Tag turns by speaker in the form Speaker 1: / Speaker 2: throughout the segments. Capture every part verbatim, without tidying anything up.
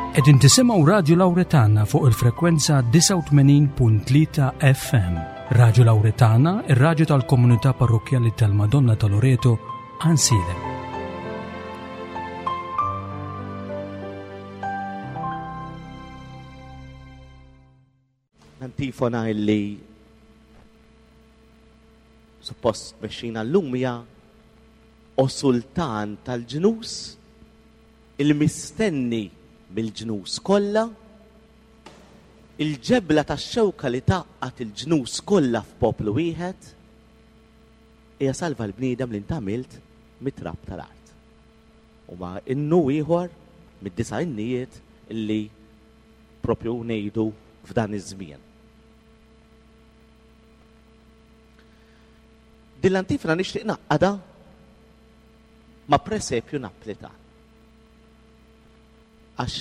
Speaker 1: Qegħdin tisimgħu Radju Lawretana fuq il-frekwenza disgħa u tmenin punt tlieta F M. Radju Lawretana, ir-radju tal-komunità parrokkjali tal-Madonna ta' Loreto, Għajnsielem.
Speaker 2: L-antifona illi suppost mexxina llum hija O Sultan tal-ġnus, il-mistenni mill-ġnus kollha, il-ġebla tax-xewka li tgħaqqad il-ġnus kollha f'poplu wieħed, hija salva l-bniedem li ntgħamilt mit-trab tal-art. U ma innu ieħor mid-disa' innijiet illi propju ngħidu f'dan iż-żmien. Din l-antifona nixtieq naqqada ma' presepju Naplitan. Għax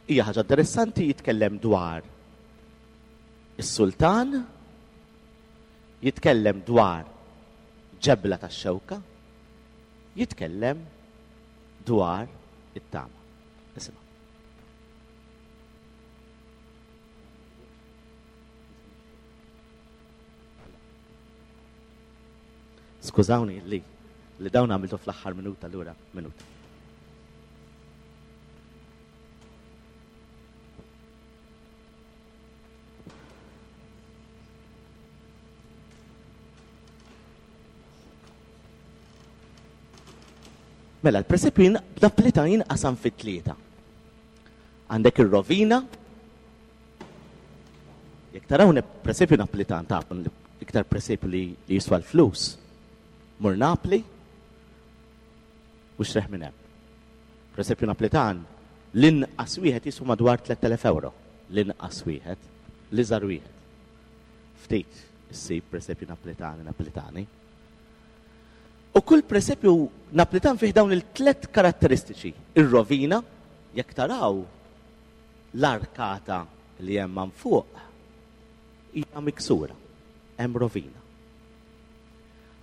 Speaker 2: hija ħaġa interessanti, jitkellem dwar is-sultan, jitkellem dwar ġebla tax-xewka, jitkellem dwar it-tama. Isimgħu. Skużawni li, li dawn għamiltu fl-aħħar minuta, allura minuta. Mela, l-presepju jin-, b'Naplita jinqasam fit tlieta. Għandek ir-rovina. Jekk taraw ne-, presepju Naplitan, tafu li iktar presepju li, li jiswa l-flus. Mur Napli u xreħ minn hemm. Presepju Naplitan l-inqas wieħed jiswa madwar tliet elef euro. L-inqas wieħed, l-iżgħar wieħed. Ftit issib presepju Naplitani, Naplitani. U kull presepju Naplitan fih dawn il-tlet karatteristiċi. Ir-rovina, jekk taraw l-arkata li hemm man fuq, hija miksura, hemm rovina.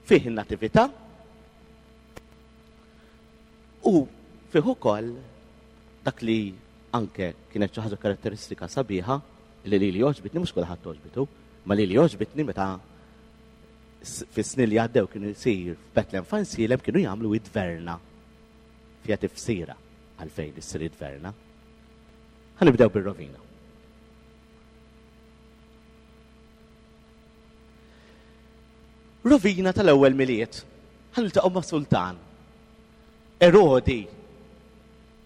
Speaker 2: Fih in-natività u fih ukoll dak li anke kienet xi ħaġa karatteristika sabiħa li lili għoġbitni, mhux kulħadd għoġbitu, ma lili għoġbitni meta s-, fis-snin li għaddew kienu jsir f'Betlem f'Għajnsielem kienu jagħmlu id-dverna. Fiha tifsira għalfejn issir id-dverna. Ħanibdew bir-rovina. Rovina tal-ewwel Milied. Ħaniltaqgħu ma' sultan. Erodi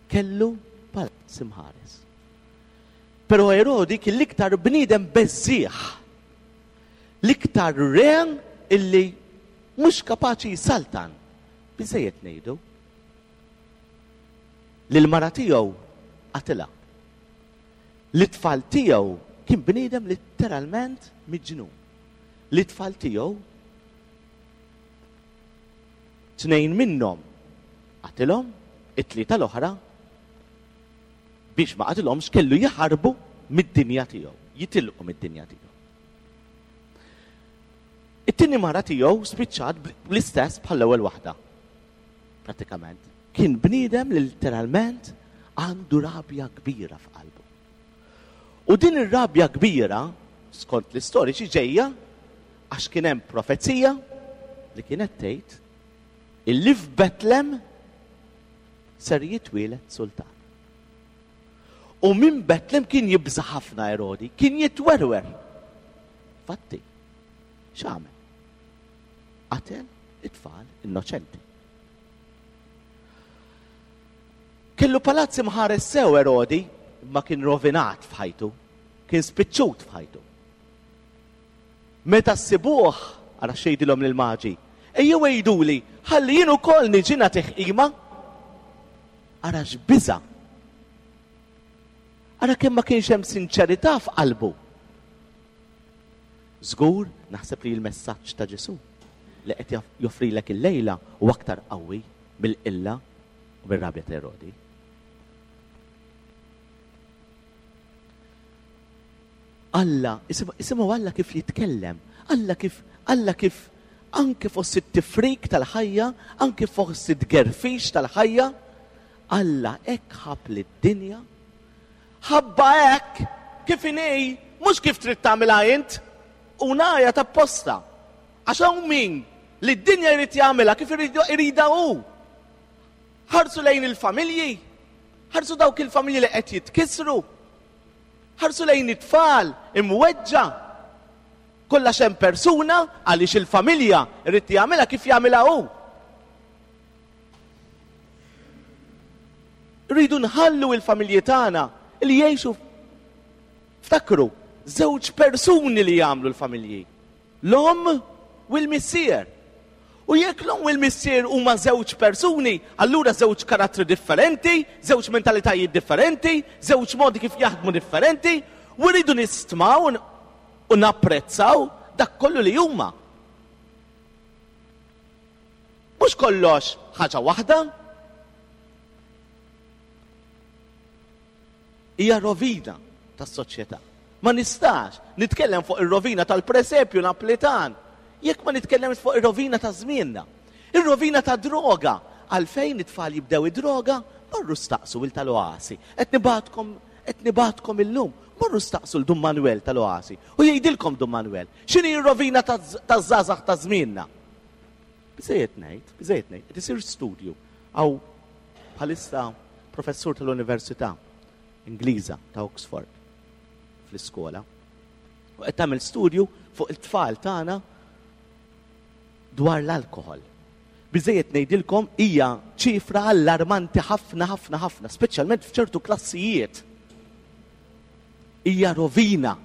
Speaker 2: kellu palazz imħares. Però Erodi kien l-iktar bniedem beżżieħ, l-iktar re illi mhux kapaċi jsaltan. Biżejjed ngħidu li l-mara tiegħu qatilha. L-itfal tiegħu kien bniedem letteralment miġnun. L-itfal tiegħu tnejn minnhom qatilhom, it-tlieta l-oħra biex ma qatilhomx kellu jaħarbu mid-dinja tiegħu, jitilqu mid-dinja tiegħu. It-tieni mara tiegħu spiċċat bl-istess bħall-ewwel waħda. Pratikament. Kien bniedem li letteralment għandu rabja kbira f'qalbu. U din ir-rabja kbira, skont l-istoriċi, ġejja għax kien hemm profezija li kienet tgħid illi f'Betlem ser jitwieled sultan. U minn Betlem kien jibża' ħafna Erodi, kien jitwerwer. Fatti, x'għamel? Qatel it-tfal innoċenti. Kellu palazz imħares sew Erodi, ma kien rovinat f'ħajtu, kien spiċċut f'ħajtu. Meta ssibuh, ara xejdilhom lill-maġi, ejjew għiduli, ħalli jien ukoll niġi nagħtih qima. Ara x'biża'. Ara kemm ma kienx hemm sinċerità f'qalbu. Żgur, naħseb li l-messaġġ ta' Ġesù li qed jaf-, joffrilek il-lejla u aktar qawwi mill-qilla u mir-rabja ta' Erodi. Alla, isimgħu, isimgħu Alla kif jitkellem, Alla kif, Alla kif anke fost it-tifrik tal-ħajja, anke fost it-tgerfix tal-ħajja, Alla hekk ħab lid-dinja, Ħabba hekk kif inhi, mhux kif trid tagħmilha int, u ngħajja tapposta. Għax hawn min li d-dinja jrid jagħmilha kif iridha hu. Ħarsu lejn il-familji, ħarsu dawk il-familji li qed jitkissru, ħarsu lejn it-tfal imweġġa. Kollha hemm persuna għaliex il-familja jrid jagħmilha kif jagħmilha hu. Rridu nħallu il-familji tagħna li jgħixu, ftakru, żewġ persuni li jagħmlu l-familji, l-omm u l-missier. U jekk l-omm u l-missier huma żewġ persuni, allura żewġ karattri differenti, żewġ mentalitajiet differenti, żewġ modi kif jaħdmu differenti, u rridu nistmaw u napprezzaw dak kollu li huma. Mhux kollox ħaġa waħda. Hija rovina tas-soċjetà. Ma nistax nitkellem fuq ir-rovina tal-presepju Naplitan jekk ma nitkellemx fuq ir-rovina ta' żmienna. Ir-rovina ta' droga. Għalfejn it-tfal jibdew id-droga? Morru staqsu il tal-Oasi. Qed nibgħatkom, qed nibgħatkom illum. Morru staqsu l Dun Manuel tal-Oasi. U jgħidilkom Dun Manuel, x'inhi r-rovina taż-żgħażagħ ta' żmienna? Biżejjed ngħid, biżejjed ngħid, qed isir studju. Hawn bħalissa professur tal-Università Ingliża ta' Oxford fl-iskola. U qed tagħmel studju fuq it-tfal tagħna dwar l-alkohol. Biżejjed ngħidilkom hija ċifra allarmanti ħafna ħafna ħafna, speċjalment f'ċertu klassijiet. Hija rovina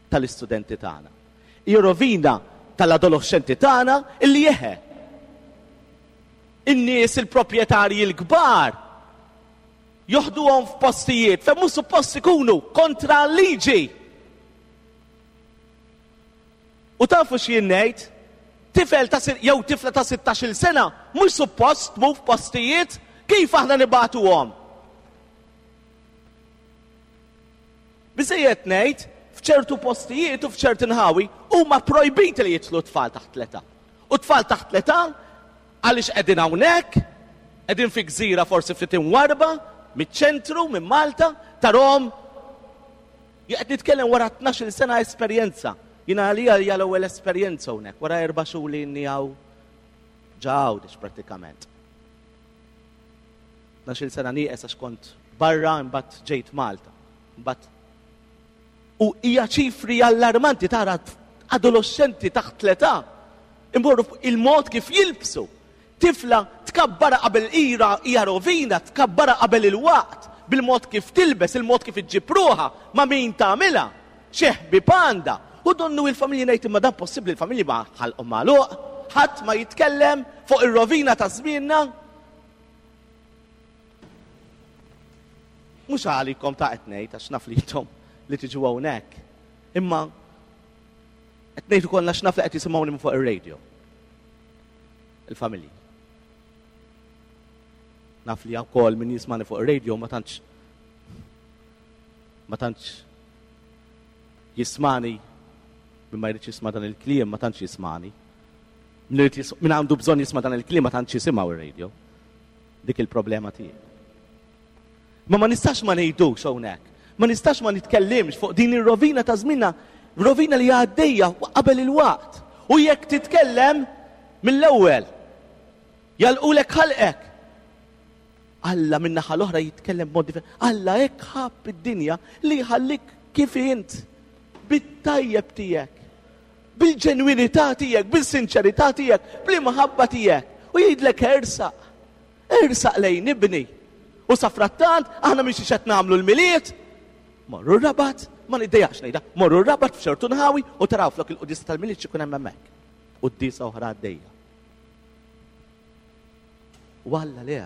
Speaker 2: tal-istudenti tagħna. Hija rovina tal-adolescenti tagħna illi jeħe. In-nies il-proprjetarji l-kbar joħduhom f'postijiet fejn mhux suppost ikunu kontra l-liġi. U tafu x'jien ngħid? Tifel ta' jew tifla ta' sittax-il sena mhux suppost tmur f'postijiet, kif aħna nibagħtuhom? Biżejjed ngħid, f'ċertu postijiet u f'ċerti nħawi huma projbiti li jidħlu tfal taħt l-età. U tfal taħt l-età għaliex qegħdin hawnhekk, qegħdin fi gżira forsi ftit imwarba miċ-ċentru, minn Malta, tarhom. Qed nitkellem wara tnax-il sena esperjenza. Jiena għalija hija l-ewwel esperjenza hawnhekk, wara erba' xhur li inni hawn ġa Għawdex prattikament. Tnax-il sena nieqes għax kont barra imbagħad ġejt Malta. Imbagħad u hija ċifri allarmanti tara adolescenti taħt l-età imorru fuq il-mod kif jilbsu. Tifla tkabbara qabel ira hija rovina, tkabbara qabel il-waqt bil-mod kif tilbes, il-mod kif iġġib ruħha, ma' min tagħmilha, xi ħbieb għandha. U donnu il-familji ngħid imma dan possibbli l-familji ma ħalqhom magħluq, ħadd ma jitkellem fuq ir-rovina ta' żmienna. Mhux għalikom ta' qed ngħid għax naf li intom li tiġu hawnhekk. Imma qed ngħid ukoll għax naf li qed jisimgħuni minn fuq ir-radio. Il-familji. Naf li wkoll min jismani fuq ir-radio ma tantx ma tantx jismani, min ma jridx jisma' dan il-kliem ma tantx jismani. Min irid jis-, min għandu bżonn jisma' dan il-kliem ma tantx jisimgħu ir-radio. Dik il-problema tiegħi. Ma ma nistax ma ngħidux hawnhekk. Ma nistax ma nitkellimx fuq din ir-rovina ta' żmienna, rovina li għaddejja qabel il-waqt. U jekk titkellem mill-ewwel, jalqulek ħalqek. Alla min-naħa l-oħra jitkellem b'mod differenti. Alla hekk ħabb id-dinja li jħallik kif int, bit-tajjeb tiegħek, bil-ġenwinità tiegħek, bil-sinċerità tiegħek, bl-imħabba tiegħek. U jgħidlek ersaq, ersaq lejn ibni. U safrattant aħna mhix qed nagħmlu l-Milied, morru r-Rabat, ma niddejjaqx ngħidha, morru r-Rabat f'ċertu nħawi u taraw flok il-quddiesa tal-Milied x'ikun hemm hemmhekk. Quddiesa oħra għaddejja. U Alla le,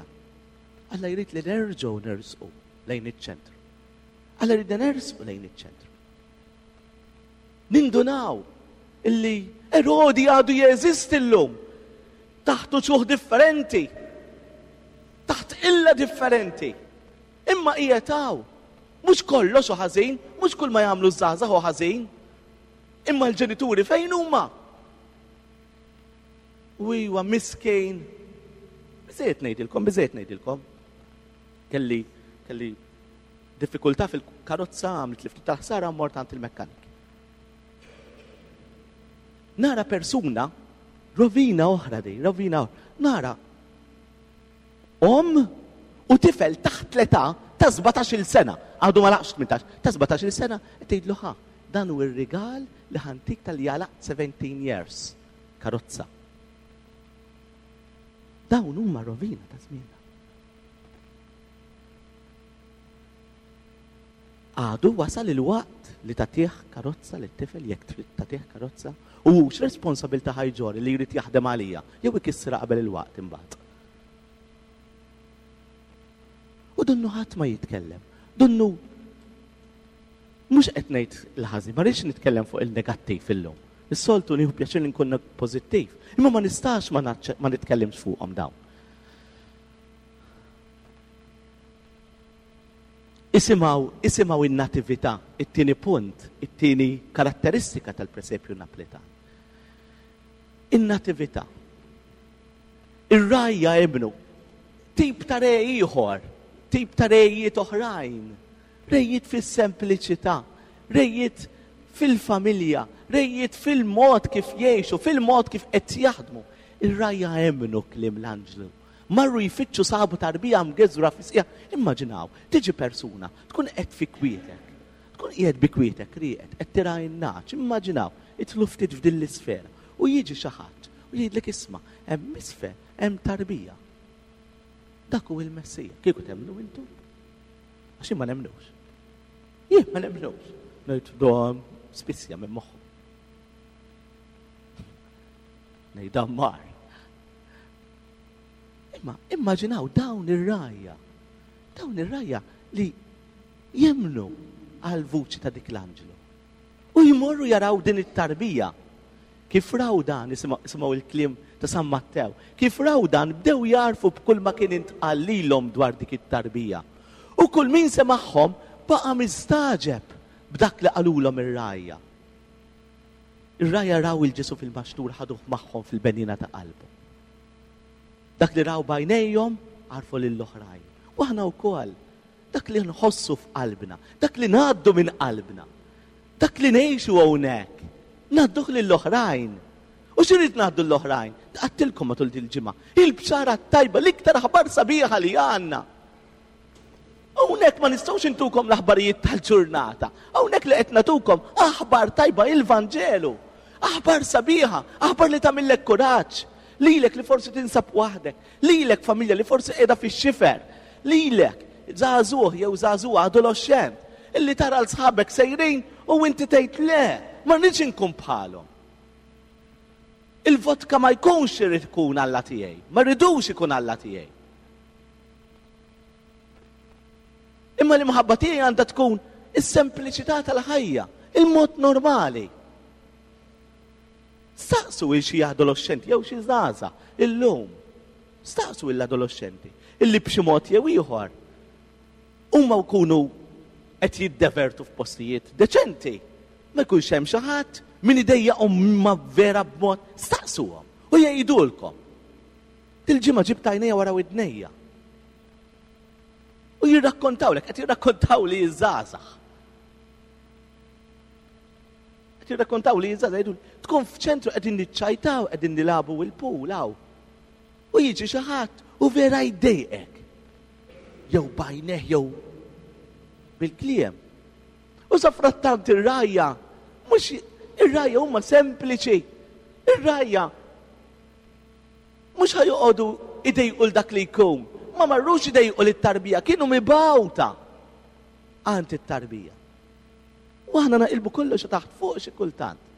Speaker 2: Alla jrid li nerġgħu nersqu lejn iċ-ċentru. Alla jrid nersqu lejn iċ-ċentru. Nindunaw illi Erodi għadu jeżisti llum taħt uċuħ differenti, taħt illa differenti. Imma qiegħed hawn. Mhux kollox hu ħażin, mhux kull ma jagħmlu ż-żgħażagħ hu ħażin. Imma l-ġenituri fejn huma? U iwa miskin. Biżejjed ngħidilkom, biżejjed ngħidilkom. Kelli, kelli Diffikultà fil-karozza, għamlet li ftit tal-ħsara, mort għand il-mekkanik. Nara persuna, rovina oħra di, rovina oħra. Nara omm u tifel taħt l-età ta' sbatax-il sena, għadu ma laqx tmintax, ta' sbatax-il sena, tgħidlu ħa, dan hu r-rigal li ħantik tal jalaq seventeen years, karozza. Dawn huma rovina ta' żmienna. Għadu wasal il-waqt li tagħtih karozza lit tifel jekk trid tagħtih karozza, u hux responsabilità ħajġori li jrid jaħdem għalija, jew ikissra qabel il-waqt imbagħad. U donnu ħadd ma jitkellem. Donnu mhux qed ngħid il-ħażin, ma rridx nitkellem fuq il-negattiv illum. Is-soltu nieħu pjaċir li nkun pożittiv, imma ma nistax ma naċċe-, ma nitkellimx fuqhom dawn. Isimgħu, isimgħu in-natività, it-tieni punt, it-tieni karatteristika tal-presepju Naplitan. In-natività. Ir-rajja ibnu, tip ta' re ieħor, tip ta' rejiet oħrajn, rejiet fis-sempliċità, rejiet fil-familja, rejiet fil-mod kif jgħixu, fil-mod kif qed jaħdmu. Ir-rajja emmnu kliem l-anġlu. Marru jfittxu sabu tarbija mgeżra fis-sija. Immaġinaw, tiġi persuna, tkun qed fi kwietek, tkun qiegħed bi kwietek, rieqed, qed tira n-naċ, immaġinaw, idħlu ftit f'din l-isfera. U jiġi xi ħadd u jgħidlek isma', hemm isfel, hemm tarbija. Dak hu il-Messija. Kieku temmnu intom? Għax ma nemmnux. Jien ma nemmnux. Ngħid dom spissja minn moħħu. Ngħid dammar. Imma immaġinaw dawn ir-rajja. Dawn ir-rajja li jemmnu għal vuċi ta' dik l-anġlu. U jmorru jaraw din it-tarbija. Kif raw dan, isimgħu il-kliem ta' San Mattew, kif raw dan bdew jarfu b'kull ma kien intqal lilhom dwar dik it-tarbija. U kull min semagħhom baqa' mistaġeb b'dak li qalulhom ir-rajja. Ir-rajja raw il-Ġesu fil-maxtur ħaduh magħhom fil-benina ta' qalbu. Dak li raw b'għajnejhom għarfu lill-oħrajn. U aħna wkoll dak li nħossu f'qalbna, dak li ngħaddu minn qalbna, dak li ngħixu hawnhekk, ngħadduh lill-oħrajn. U x'irid ngħaddu l-oħrajn? Għattilkom matul din il-ġimgħa. Il-bxara tajba, l-iktar aħbar sabiħa li għandna. Hawnhekk ma nistgħux intukom l-aħbarijiet tal-ġurnata. Hawnhekk li qed nagħtukom aħbar tajba, il-Vanġelu. Aħbar sabiħa, aħbar li tagħmillek kuraġġ. Lilek li forsi tinsab waħdek, lilek familja li forsi qiegħda fix-xifer, lilek żagħżugħ jew żagħżugħa adolescent illi tara l sħabek sejrin u inti tgħid le, ma rridx inkun bħalhom. Il-vodka ma jkunx irid ikun Alla tiegħi, ma rridux ikun Alla tiegħi. Imma l-imħabba tiegħi għandha tkun is-sempliċità tal-ħajja, il-mod normali. Staqsu il xi adolescenti jew xi żgħażagħ illum. Staqsu l-adolescenti illi b'xi mod jew ieħor huma jkunu qed jiddevertu f'postijiet deċenti. Ma jkunx hemm xi ħadd min idejjaqhom ma vera b'mod, staqsuhom u jgħidulkom. Dil-ġimgħa ġibt għajnejja wara widnejja. U jirrakkontawlek, qed jirrakkontaw li jiżgħażagħ. Qed jirrakkontaw li jiżgħażagħ jgħidu tkun f'ċentru qegħdin niċċajtaw, qegħdin nilagħbu il-pool hawn. U jiġi xi ħadd u vera jdejqek. Jew bajneh jew bil-kliem. U sa frattant ir-rajja, mhux ir-rajja huma sempliċi. Ir-rajja mhux ħajoqogħdu idejqu l dak li jkun. Ma marrux idejqu lit-tarbija, kienu mibgħuta għand it-tarbija. U aħna naqilbu kollox taħt fuq xi kultant.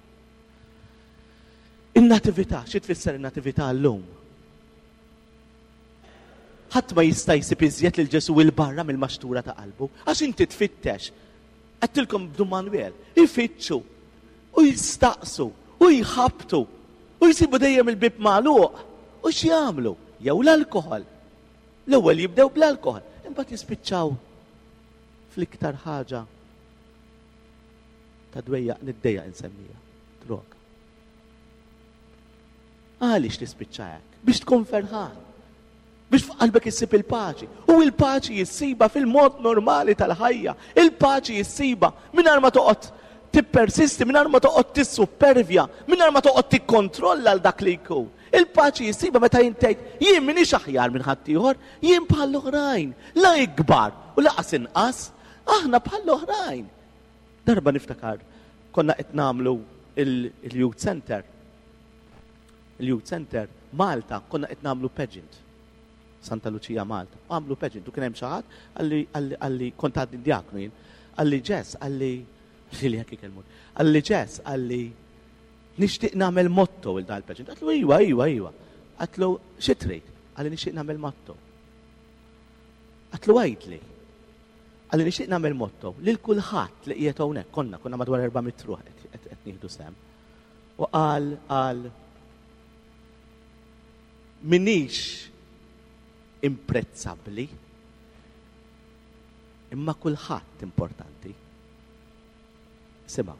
Speaker 2: In-natività, xi tfisser in-natività llum? Ħadd ma jista' jsib iżjed lil Ġesu il barra mill-maxtura ta' qalbu, għax inti tfittex. Għedtilkom b'Dun Manuel, ifittxu u jistaqsu u jħabtu u jsibu dejjem il-bib magħluq. U x'jagħmlu? Jew l-alkoħol. L-ewwel jibdew bl-alkoħol, imbagħad jispiċċaw fl-iktar ħaġa ta' dwejjaq niddejjaq insemmija, droga. Għaliex tispiċċa hekk? Biex tkun ferħan. Biex f'qalbek issib il-paċi. U il-paċi jissiba fil-mod normali tal-ħajja. Il-paċi jissiba mingħajr ma toqgħod tippersisti, mingħajr ma toqgħod tissuppervja, mingħajr ma toqgħod tikkontrolla l dak li jkun. Il-paċi jissiba meta jintejt jien m'iniex aħjar minn ħaddieħor, jien bħall-oħrajn, la ikbar u laqas inqas, aħna bħall-oħrajn. Darba niftakar, konna qed nagħmlu il-Youth Center. Il-Youth Center Malta konna qed nagħmlu pageant. Santa Lucia Malta. Għamlu pageant u kien hemm xi ħadd għalli għalli kont għadni diaknu jien. Għalli Ġess, għalli li jekk ikellmu. Għalli Ġess, għalli nixtieq nagħmel motto il dal pageant. Għatlu iwa, iwa, iwa. Għatlu xi trid? Għalli nixtieq nagħmel motto. Għatlu għidli. Għalli nixtieq nagħmel motto lil kulħadd li qiegħed hawnhekk konna konna madwar erba' mitt ruħ qed nieħdu sehem. U qal qal minix imprezzabbli imma kulħadd importanti. Simgħu.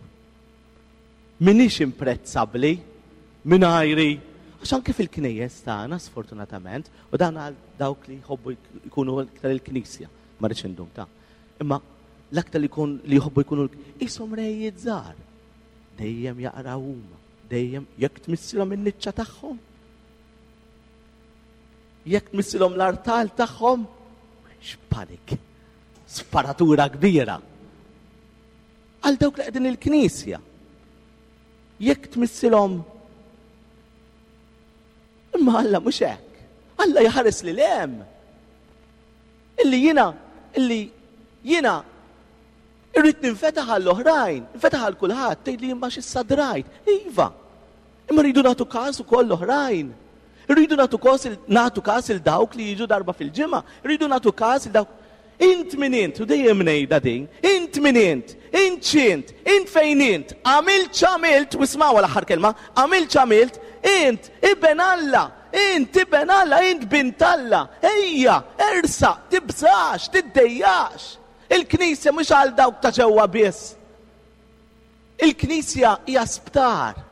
Speaker 2: Minix imprezzabbli mingħajri għax anke fil-knejjes tagħna sfortunatament, u dan għal dawk li jħobbu jkunu iktar il-knisja, ma rridx indum ta' imma l-aktar li jkun li jħobbu jkunu ishom rejiet żgħar. Dejjem jaqraw huma, dejjem jekk tmissilhom in-niċċa tagħhom. Jekk tmissilhom l-artal tagħhom, x'panik. Sparatura kbira. Għal dawk li qegħdin il-knisja. Jekk tmissilhom imma Alla mhux hekk. Alla jħares li hemm. Illi jiena, illi jiena irrid ninfetaħ għall-oħrajn, ninfetaħ għal kulħadd, tgħid li imma x'issa drajt. Iva. Imma rridu nagħtu każ ukoll l-oħrajn. Rridu nagħtu każ nagħtu każ il dawk li jiġu darba fil-ġimgħa, rridu nagħtu każ il dawk. Int min int, u dejjem ngħidha din, int min int, int x'int, int fejn int, għamilt x'għamilt, u ismgħu l-aħħar kelma, għamilt x'għamilt, int iben Alla, int iben Alla, int bint Alla, ejja, ersa, tibżax, tiddejjax. Il-Knisja mhux għal dawk ta' ġewwa biss. Il-Knisja hija sptar,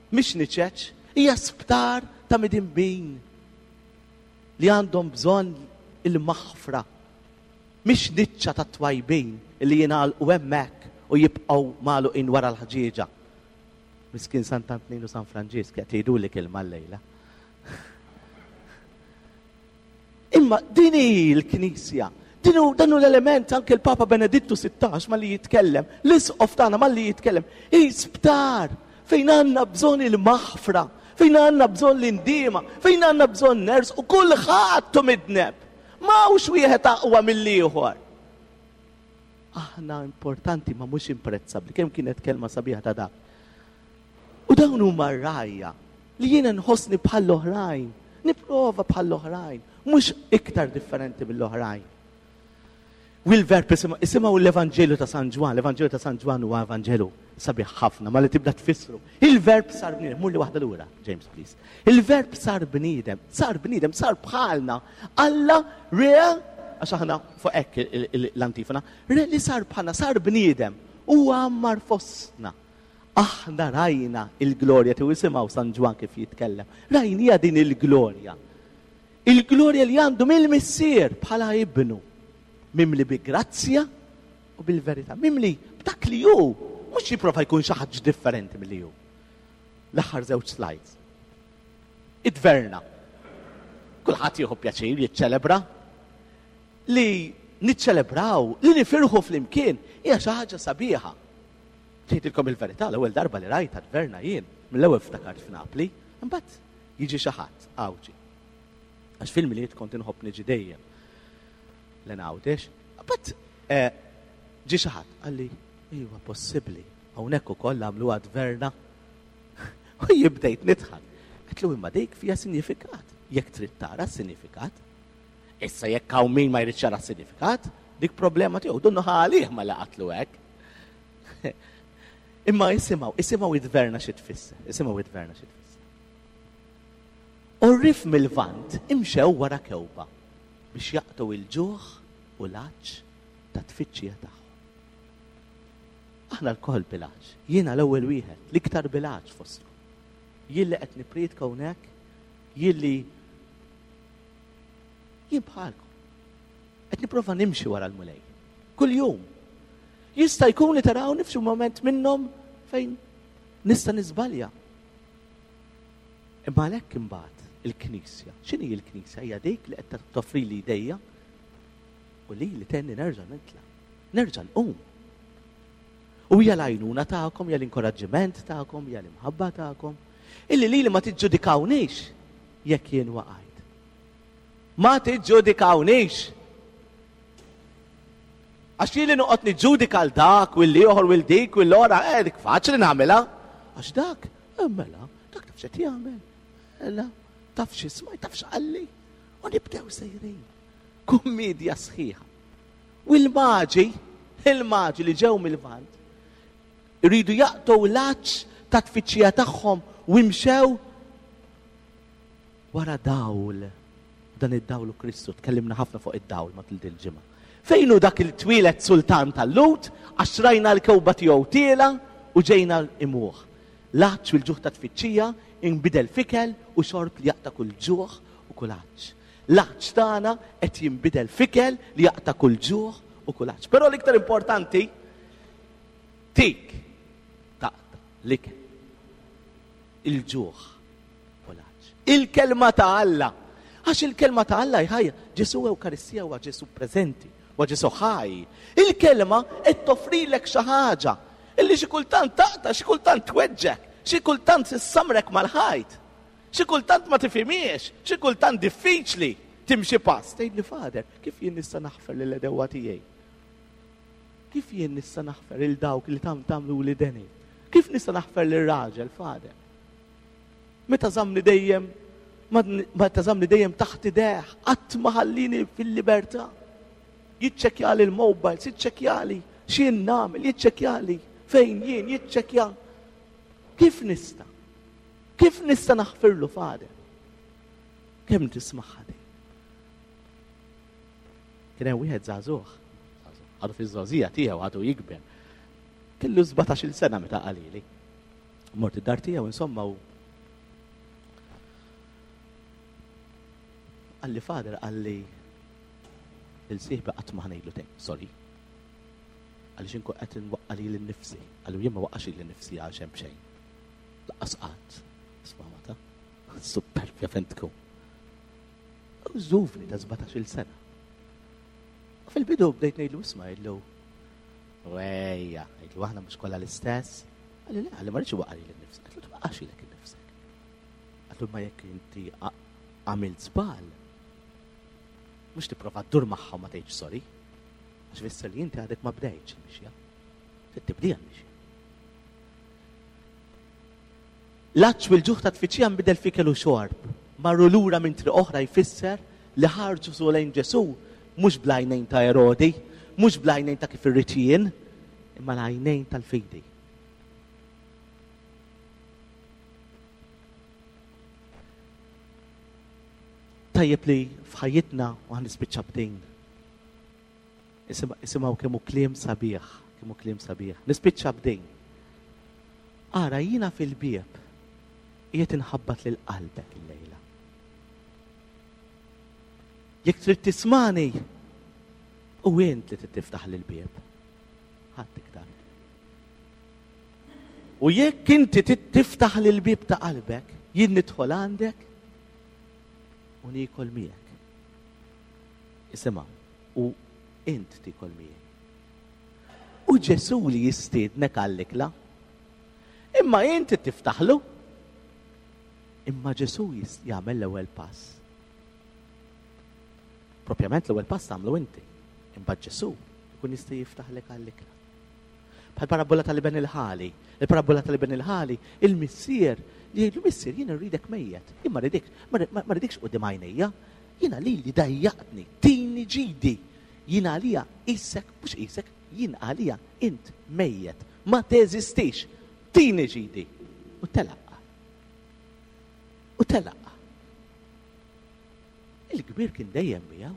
Speaker 2: mhix niċeċ, hija sptar ta' midinbin li għandhom bżonn il-maħfra. Mhix niċċa ta' twajbin li jingħalqu hemmhekk u jibqgħu magħluqin wara l-ħġieġa. Miskin Sant'Antnin u San Franġisk qed jgħiduli kelma llejla. Imma din hi l-Knisja. Din hu, dan hu l-element anke l-Papa Benedittu sittax malli jitkellem, l-Isqof tagħna malli jitkellem, hi sptar fejn għandna bżonn il-maħfra, fejn għandna bżonn l-indiema, fejn għandna bżonn ners u kulħadd hu midneb. M'hawnx wieħed aqwa mill-ieħor. Aħna importanti ma mhux imprezzabbli. Kemm kienet kelma sabiħa ta' dak. U dawn huma r-rajja li jiena nħossni bħall-oħrajn, nipprova bħall-oħrajn, mhux iktar differenti mill-oħrajn. U l-verb isimgħu l-Evanġelju ta' San Ġwann, l-Evanġelju ta' San Ġwann huwa Evanġelu sabiħ ħafna, ma li tibda tfissru. Il-verb sar bniedem, mur li waħda lura, James please. Il-verb sar bniedem, sar bniedem, sar bħalna. Alla re, għax aħna fuq hekk l-antifona, re li sar bħalna, sar bniedem, u għammar fostna. Aħna rajna il-glorja tiegħu, isimgħu San Ġwann kif jitkellem. Rajnija din il-glorja. Il-glorja li għandu mill-Missier bħala ibnu. Mimli bi grazzja u bil-verità. Mimli b'dak li hu, mhux jipprova jkun xi ħaġa differenti milli hu. L-aħħar żewġ slides. Id-dverna. Kulħadd jieħu pjaċir jiċċelebra. Li niċċelebraw, li nifirħu flimkien, hija xi ħaġa sabiħa. Tgħidilkom il-verità, l-ewwel darba li rajta dverna jien, mill-ewwel ftakart f'Napli, imbagħad jiġi xi ħadd Għawdxi. Għax fil-Milied kont inħobb niġi dejjem. L-Għawdex, imbagħad, eh, ġi xi ħadd qalli, iwa possibbli, hawnhekk ukoll għamluha dverna. U jibdejt nidħak. Għedtlu imma dik fiha sinifikat. Jekk trid tara s-sinifikat. Issa jekk hawn min ma jridx jara s-sinifikat, dik problema tiegħu, dunnu ħalih ma laqatlu hekk. Imma isimgħu, isimgħu id-dverna xi tfisser, isimgħu id-dverna xi tfisser. Orrif mill-Lvant imxew wara kewba biex jaqtgħu il-ġuħ u l-għatx ta' tfittxija tagħhom. Aħna lkoll bil-għatx, jiena l-ewwel wieħed, l-iktar bil-għatx fostkom. Jien li qed nippriedka hawnhekk, jien li Jien bħalkom. Qed nipprova nimxi wara l-Mulej. Kuljum. Jista' jkun li tarawni f'xi moment minnhom fejn nista' niżbalja. Imma għalhekk imbagħad il-Knisja. X'inhi l-Knisja? Hija dik li qed toffri li idejja u li li tenni nerġa' nitla'. Nerġa' nqum. U hija l-għajnuna tagħkom, hija l-inkoraġġiment tagħkom, hija l-imħabba tagħkom. Illi lili ma tiġġudikawnix jekk jien waqajt. Ma tiġġudikawnix. Għax jien li noqgħod niġġudika l dak u l-ieħor u l-dik u l-ora, eh, dik faċli nagħmilha. Għax dak, eh, mela, dak taf x'qed jagħmel. Mela, taf x'isma', taf x'qalli. U nibdew sejrin. Kummedja sħiħa. U l-maġi, il-maġi li ġew mill-Lvant, iridu jaqtgħu l-għatx ta' tfittxija tagħhom u imxew wara dawl. Dan id-dawl u Kristu, tkellimna ħafna fuq id-dawl matul din il-ġimgħa. Fejn hu dak il-twieled sultan tal-Lhud, għax rajna l-kewba tiegħu tiela u ġejna imuh. L-għatx u l-ġuħ ta' tfittxija inbidel f'ikel u xorb li jaqta' kull ġuħ u kull għatx. L-għatx tagħna qed jinbidel f'ikel li jaqta' kull ġuħ u kull għatx. Però l-iktar importanti, tik taqta' l-ikel, il-ġuħ u l-għatx. Il-kelma ta' Alla. Għax il-kelma ta' Alla ħajja. Ġesu Ewkaristija huwa Ġesu preżenti, huwa Ġesu ħaj. Il-kelma qed toffrilek xi ħaġa illi xi kultant taqta', xi kultant tweġġek, xi kultant issamrek mal-ħajt, xi kultant ma tifhimiex, xi kultant diffiċli timxi pass. Tgħidli, Father, kif jien nista' naħfer lil għedewwa tiegħi? Kif jien nista' naħfer lil dawk li tam tagħmlu li deni? Kif nista' naħfer lil raġel, Father? Meta żamni dejjem, meta żamni dejjem taħt idejh, qatt ma ħallini fil-libertà. Jiċċekkjali l-mobiles, jiċċekkjali x'jien nagħmel, jiċċekkjali fejn jien, jiċċekkja. Kif nista'? Kif nista' naħfirlu, Father? Kemm tismagħha din? Kien hemm wieħed żagħżugħ, għadu fiż-żgħożija tiegħu għadu jikber. Kellu sbatax-il sena meta qalili. Mort id-dar tiegħu insomma u qalli, Father, qalli il-sieħbi qatt ma ħa ngħidlu tgħid, sorry. Għaliex inkun qed nwaqqa' lili nnifsi. Qalli jien ma waqqax lili nnifsi għal xejn b'xejn. Laqqas qatt. Isma' mata. Superbja fejn tkun. U żuvni ta' sbatax-il sena. U fil-bidu bdejt ngħidlu isma' ngħidlu, wejja, ngħidlu aħna mhux kollha l-istess. Qalli le, qalli ma rridx iwaqqa' lili nnifsi. Għedtlu twaqqax lilek innifsek. Għedtlu ma jekk inti għamilt żball, mhux tipprova ddur magħha u ma tgħidx sorry. Għax fisser li inti għadek ma bdejtx il-mixja. Trid tibdija l-mixja. L-għatx u l-ġuħ ta' tfittxija nbidel f'ikel u xorb. Marru lura minn triq oħra jfisser li ħarġu su lejn Ġesu mhux bl-għajnejn ta' Erodi, mhux bl-għajnejn ta' kif irrid jien, imma l-għajnejn tal-fidi. Tajjeb li f'ħajjitna u ħan nispiċċa b'din. Isimgħu kemm hu kliem sabiħ, kemm hu kliem sabiħ. Nispiċċa b'din. Ara jiena fil-bieb qiegħed inħabbat lil qalbek illejla. Jekk trid tismani, u int li trid tiftaħ lil bieb. Ħadd iktar. U jekk inti trid tiftaħ lil bieb ta' qalbek, jien nidħol għandek u niekol miegħek. Isimgħu, u int tiekol miegħi. U Ġesu li jistiednek għall-ikla. Imma inti tiftaħlu. Imma Ġesu jis-, jagħmel l-ewwel pass. Propjament l-ewwel pass tagħmlu inti. Imbagħad Ġesu jkun jista' jiftaħlek għall-ikla. Bħal parabola tal-iben il-ħali. Il-parabola tal-iben il-ħali, il-missier li jgħidlu missier jien irridek mejjet. Jien ma rridekx, ma ri-, ma rridekx quddiem għajnejja. Jiena lili dajjaqtni, tini ġidi. Jien għalija isek, mhux isek, jien għalija int mejjet. Ma teżistix. Tini ġidi. U telaqqa. U telaqqa. Il-kbir kien dejjem miegħu.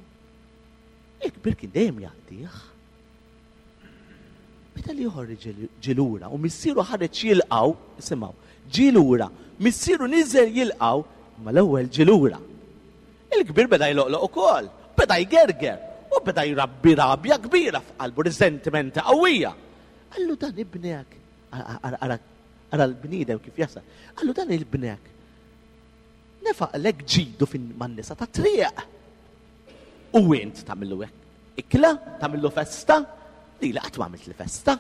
Speaker 2: Il-kbir kien dejjem jgħaddih. Meta li joħorġ ġil-, ġilura u missieru ħareġ jilqgħu, isimgħu, ġilura, missieru niżel jilqgħu, ma l-ewwel ġilura. Il-kbir beda jloqloq ukoll. Beda jgerger u beda jrabbi rabja kbira f'qalbu, riżentimenti qawwija. Qallu dan ibnek, ara l-bniedem kif jasal. Qallu dan ibnek. Nefaqlek ġidu fin man-nisa ta' triq. U int tagħmillu hekk. Ikla, tagħmillu festa, li li qatt ma għamilt li festa.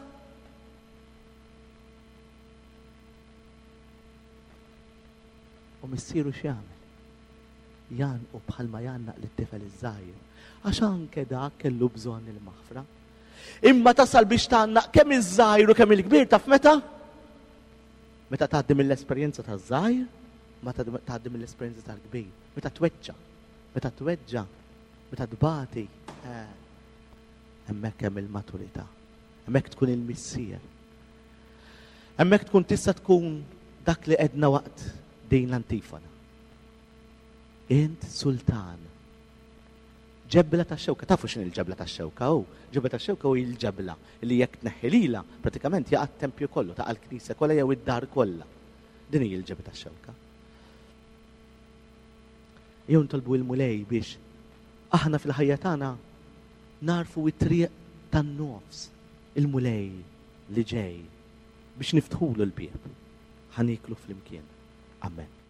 Speaker 2: U missieru x'jagħmel? Jgħannqu bħalma jgħannaq lit-tifel iż-żgħir. Għax anke dak kellu bżonn il-maħfra. Imma tasal biex tgħannaq kemm iż-żgħir u kemm il-kbir taf meta? Meta tgħaddi mill-esperjenza taż-żgħir, meta tgħaddi mill-esperjenza tal-kbir, meta tweġġa, meta tweġġa, meta tbati, eh, hemmhekk hemm il-maturità. Hemmhekk tkun il-missier. Hemmhekk tkun tista' tkun dak li qedna waqt din l-antifona. Int sultan. Ġebla ta' xewka, tafu x'inhi l-ġebla ta' xewka hu? Ġebla ta' xewka hu l-ġebla li jekk tneħħi lilha pratikament jaqa' t-tempju kollu, taqa' l-knisja kollha jew id-dar kollha. Din hi l-ġebla ta' xewka. Jew nitolbu il-Mulej biex aħna fil-ħajja tagħna narfu it-triq tan-nofs, il-Mulej li ġej biex niftħulu l-bieb. Ħa nieklu flimkien. Amen.